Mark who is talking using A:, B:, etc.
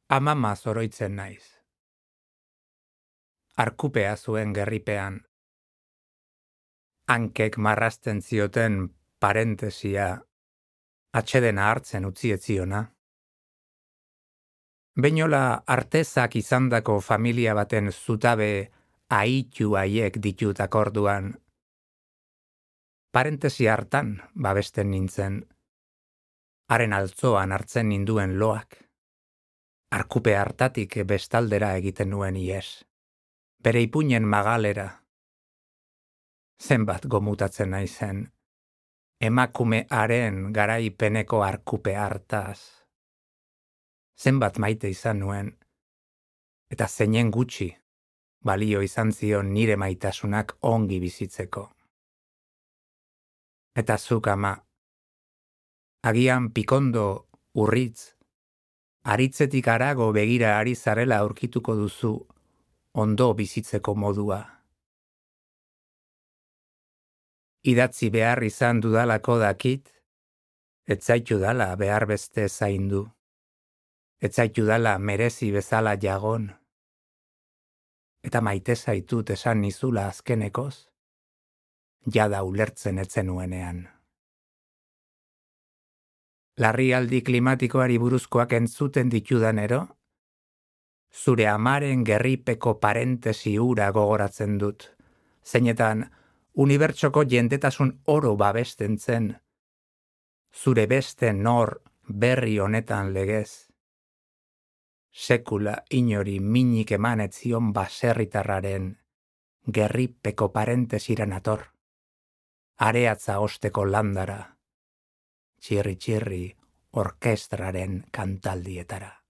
A: Amama zoroitzen naiz. Arkupea zuen gerripean. Hankek marrazten zioten parentesia atsedena hartzen utzieziona. Beinola artezak izandako familia baten zutabe aitu haiek ditut akorduan. Parentesia hartan babesten nintzen. Haren altzoan hartzen ninduen loak. Arkupe hartatik bestaldera egiten nuen ies. Bere ipuinen magalera. Zenbat gomutatzen naizen. Emakume haren garaipeneko arkupe hartaz. Zenbat maite izan nuen. Eta zeinen gutxi, balio izan zion nire maitasunak ongi bizitzeko. Eta zuk ama, agian pikondo urritz, aritzetik harago begira ari zarela aurkituko duzu ondo bizitzeko modua. Idatzi behar izan dudalako dakit, ez zaitu dala behar beste zaindu, ez zaitu dala merezi bezala jagon, eta maite zaitut esan nizula azkenekoz, jada ulertzen etzen nuenean. Larrialdi klimatikoari buruzkoak entzuten ditudanero, zure amaren gerripeko parentesi hura gogoratzen dut, zeinetan unibertsoko jendetasun oro babesten zen, zure beste nor berri honetan legez. Sekula inori minik emanetzion baserritarraren gerripeko parentesiran ator, areatza osteko landara, txirri-txirri orkestraren kantaldietara.